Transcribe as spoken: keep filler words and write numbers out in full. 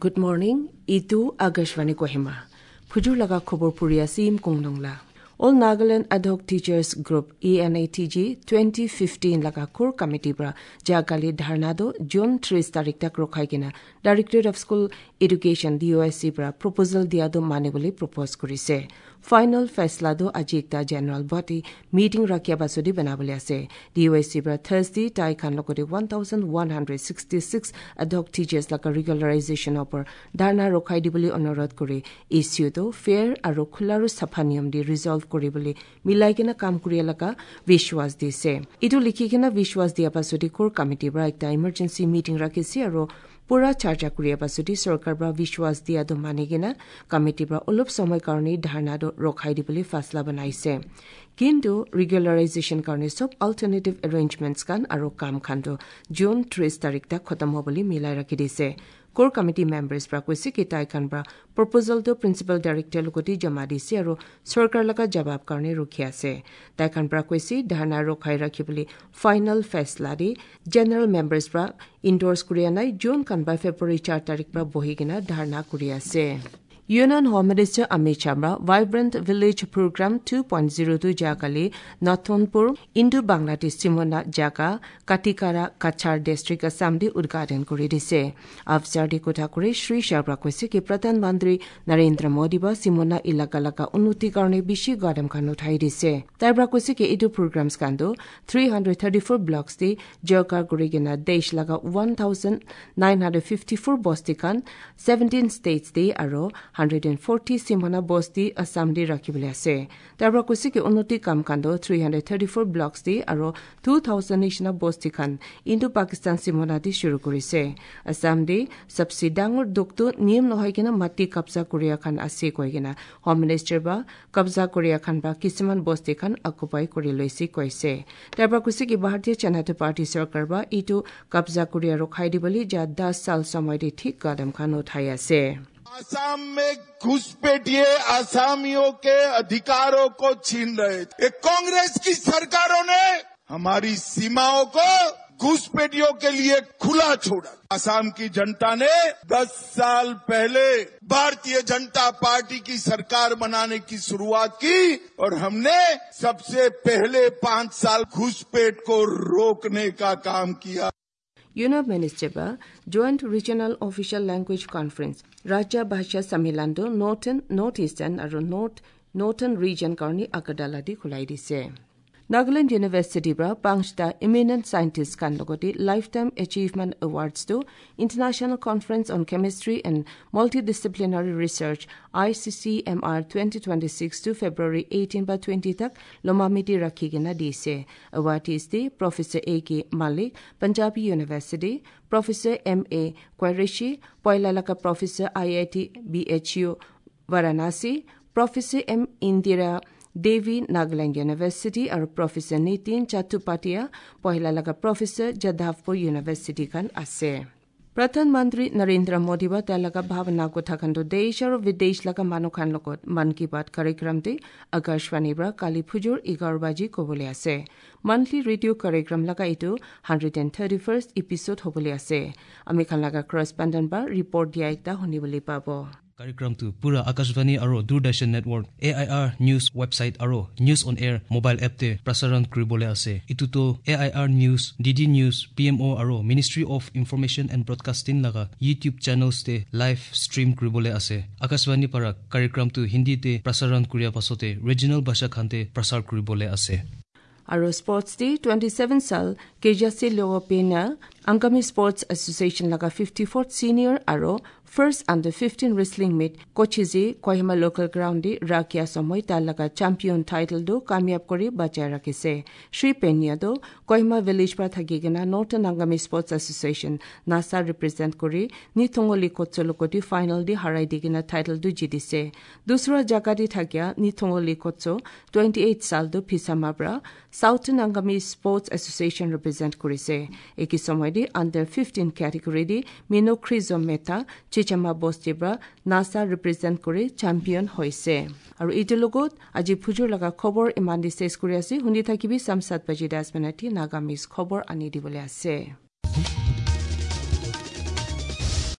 Good morning ইটো আকাশবাণী কহিমা ফুজুৰ লগা খবৰ পঢ়ি আছে ইম কুংনংলা All Nagaland Ad Hoc Teachers Group A N A T G twenty fifteen লগা কোৰ কমিটিৰ পৰা যোৱাকালি ধৰ্ণাটো জুন ত্ৰিছ তাৰিখ তাক ৰখাই কিনে Directorate of School Education D O S চিৰ পৰা প্ৰপ'জেল দিয়াটো মানিবলৈ প্ৰপ'জ কৰিছে। ফাইনেল ফেচলাটো আজি একটা জেনেৰেল বডি মিটিং ৰাখিয়া পাছতে বনাবলৈ আছে। ডি অ' এছ চিৰ পৰা থাৰ্ছডে তাই খান লগতে one thousand one hundred sixty six ad hoc teachers লগা ৰেগুলাৰাইজেশ্যনৰ ওপৰত ধৰ্ণা ৰখাই দিবলৈ অনুৰোধ কৰি ইছ্যুটো ফেয়াৰ আৰু খোলা আৰু চাফা নিয়ম দি ৰিজল্ভ কৰিবলৈ মিলাই কিনে কাম কৰি লগা বিশ্বাস দিছে। এইটো লিখি কিনে বিশ্বাস দিয়াৰ পাছতে কোৰ কমিটিৰ পৰা একটা ইমাৰ্জেঞ্চি মিটিং ৰাখিছে আৰু পুৰা চৰ্চা কৰিয়াৰ পাছতে চৰকাৰ পৰা বিশ্বাস দিয়াটো মানি কিনে কমিটিৰ পৰা অলপ সময় কাৰণে ধৰ্ণাটো ৰখাই দিবলৈ ফাচলা বনাইছে। কিন্তু ৰেগুলাৰাইজেশ্যন কাৰণে চব অল্টাৰনেটিভ এৰেঞ্জমেণ্টছ খান আৰু কাম খানটো জুন ত্ৰিছ তাৰিখ তাক খতম হ'ব বুলি মিলাই ৰাখি দিছে। কোৰ কমিটি মেম্বাৰ্ছ পৰা কৈছে কি তাইখান পৰা প্ৰপ'জেলটো প্ৰিন্সিপাল ডাইৰেক্টৰ লগতে জমা দিছে আৰু চৰকাৰ লগা জবাব কাৰণে ৰখি আছে। তাইখান পৰা কৈছে ধৰ্ণা ৰখাই ৰাখিবলৈ ফাইনেল ফেচলা দি জেনেৰেল মেম্বাৰ্ছ পৰা ইণ্ডৰ্ছ কৰি নাই জুন কানবা ফেব্ৰুৱাৰী চাৰ তাৰিখ পৰা বহি কিনে ধৰ্ণা কৰি আছে। Union Home Minister Amit Shah Vibrant Village Program two point zero two Jakali Nathonpur Indo Bangladesh Simona Jaka Katikara Kachar District Assam di উদ্ঘাটন কৰি দিছে। আফসাৰ দি কথা কৰি শ্ৰী শাহ কৈছে কি প্ৰধানমন্ত্ৰী নৰেন্দ্ৰ মোদী বা সিমনা এলেকা লগা উন্নতিৰ কাৰণে বেছি কদম খান উঠাই দিছে। তাৰ পৰা কৈছে কি এইটো প্ৰগ্ৰাম খানটো three hundred thirty four blocks দি জয়কাৰ কৰি কিনে দেশ লগা one thousand nine hundred fifty four বস্তি খান ছেভেণ্টিন ষ্টেটছ দি আৰু hundred forty Simona বস্তি আছাম দি ৰাখিবলৈ আছে। তাৰ পৰা কৈছে কি উন্নতি কাম কাণ্ড three hundred thirty four blocks দি আৰু টু থাউজেণ্ড নিচিনা বস্তি খান ইণ্ডো পাকিস্তান সিমনা দি শুৰু কৰিছে। আছাম দি চবচে ডাঙৰ দুখটো নিয়ম নহয় কিনে মাটি কব্জা কৰিয়া খান আছে কৈ কিনে হোম মিনিষ্টাৰ বা কব্জা কৰিয়া খান বা কিছুমান বস্তি খান অকুপাই কৰি লৈছে কৈছে। তাৰ পৰা কৈছে কি ভাৰতীয় জনতা পাৰ্টি চৰকাৰ বা এইটো কব্জা কৰিয়া ৰখাই দিবলৈ যা দহ চাল সময় দি ঠিক কদম খান উঠাই আছে। आसाम में घुसपैठिए आसामियों के अधिकारों को छीन रहे थे। कांग्रेस की सरकारों ने हमारी सीमाओं को घुसपैठियों के लिए खुला छोड़ा। आसाम की जनता ने दस साल पहले भारतीय जनता पार्टी की सरकार बनाने की शुरुआत की और हमने सबसे पहले पांच साल घुसपैठ को रोकने का काम किया। Union Minister ba Joint Regional Official Language Conference Rajya Bhasha Sammilan do Northern North Eastern আৰু North Northern Region কাৰণে আগৰতলা দি খোলাই দিছে। Nagaland University পৰা পাঁচটা eminent scientist খান লগতে Lifetime Achievement Awards to International Conference on Chemistry and Multidisciplinary Research I C C M R twenty twenty-six to February eighteen বা twenty tak Lomamiti rakhi kena dise. Awardees de Professor A K Malik, Punjabi University, Professor M A Qureshi, Poilalaka Professor I I T B H U Varanasi, Professor M Indira Devi Nagaland University আৰু Professor Nitin Chattopadhyay, পহিলা লগা Professor Jadavpur University খান আছে। প্ৰধানমন্ত্ৰী নৰেন্দ্ৰ মোদী বা তেওঁ লগা ভাৱনা কথা খানটো দেশ আৰু বিদেশ লগা মানুহ খান লগত মন কী বাত কাৰ্যক্ৰমটি আকাশবাণীৰ পৰা কালি ফুজুৰ এঘাৰ বাজি ক'বলৈ আছে। মান্থলি ৰেডিঅ' কাৰ্যক্ৰম লগা এইটো hundred and thirty first episode হ'বলৈ আছে। আমি খান লগা কৰস্পণ্ডেণ্ট বা ৰিপৰ্ট দিয়া একটা শুনিবলৈ পাব। কাৰ্যক্ৰমটো পুৰা আকাশবাণী আৰু Doordarshan network A I R news website আৰু নিউজ অন এয়াৰ মোবাইল এপতে প্ৰচাৰণ কৰিবলৈ আছে। ইটোতো A I R news, D D news, P M O আৰু ministry of information and broadcasting লগা ইউটিউব চেনেলছতে লাইভ ষ্ট্ৰীম কৰিবলৈ আছে। আকাশবাণী পৰা কাৰ্যক্ৰমটো হিন্দীতে প্ৰচাৰণ কৰাৰ পাছতে ৰিজনেল ভাষাখানতে প্ৰচাৰ কৰিবলৈ আছে। আৰু স্পৰ্টছ ডে টুৱেণ্টি ছেভেন চাল কেজাচি লেঅ'পেনা আংগামী স্পৰ্টছ এছ'চিয়েশ্যন লগা ফিফটি ফ'ৰ্থ ছিনিয়ৰ আৰু first under fifteen wrestling meet Kochiji Kohima local ground দি ৰাখিয়া সময় তাৰ লগা চেম্পিয়ন টাইটেলটো কামিয়াব কৰি বজাই ৰাখিছে। শ্ৰী পেনিয়াটো কহিমা ভিলেজ পৰা থাকি কিনে Northern Angami Sports Association NASA represent কৰি নিথঙলি কোচৰ লগতে ফাইনেল দি হাৰাই দি কিনে টাইটেলটো জিতিছে। দুসৰা জাগা দি থাকিয়া নিথঙলি কোচ টুৱেণ্টি এইট চালটো ফিচামাৰ পৰা Southern Angami Sports Association represent কৰিছে। একে সময় দি আণ্ডাৰ ফিফটিন কেটেগৰী দি মিনো খ্ৰিজম মেথা চিচামা বস্তিৰ পৰা নাছা ৰিপ্ৰেজেণ্ট কৰি চেম্পিয়ন হৈছে। আৰু এইটোৰ লগত আজি ফুজুৰ লগা খবৰ ইমান দি চেচ কৰি আছে। শুনি থাকিবি চাম সাত বাজি দহ মিনিট নাগামিজ খবৰ আনি দিবলৈ আছে।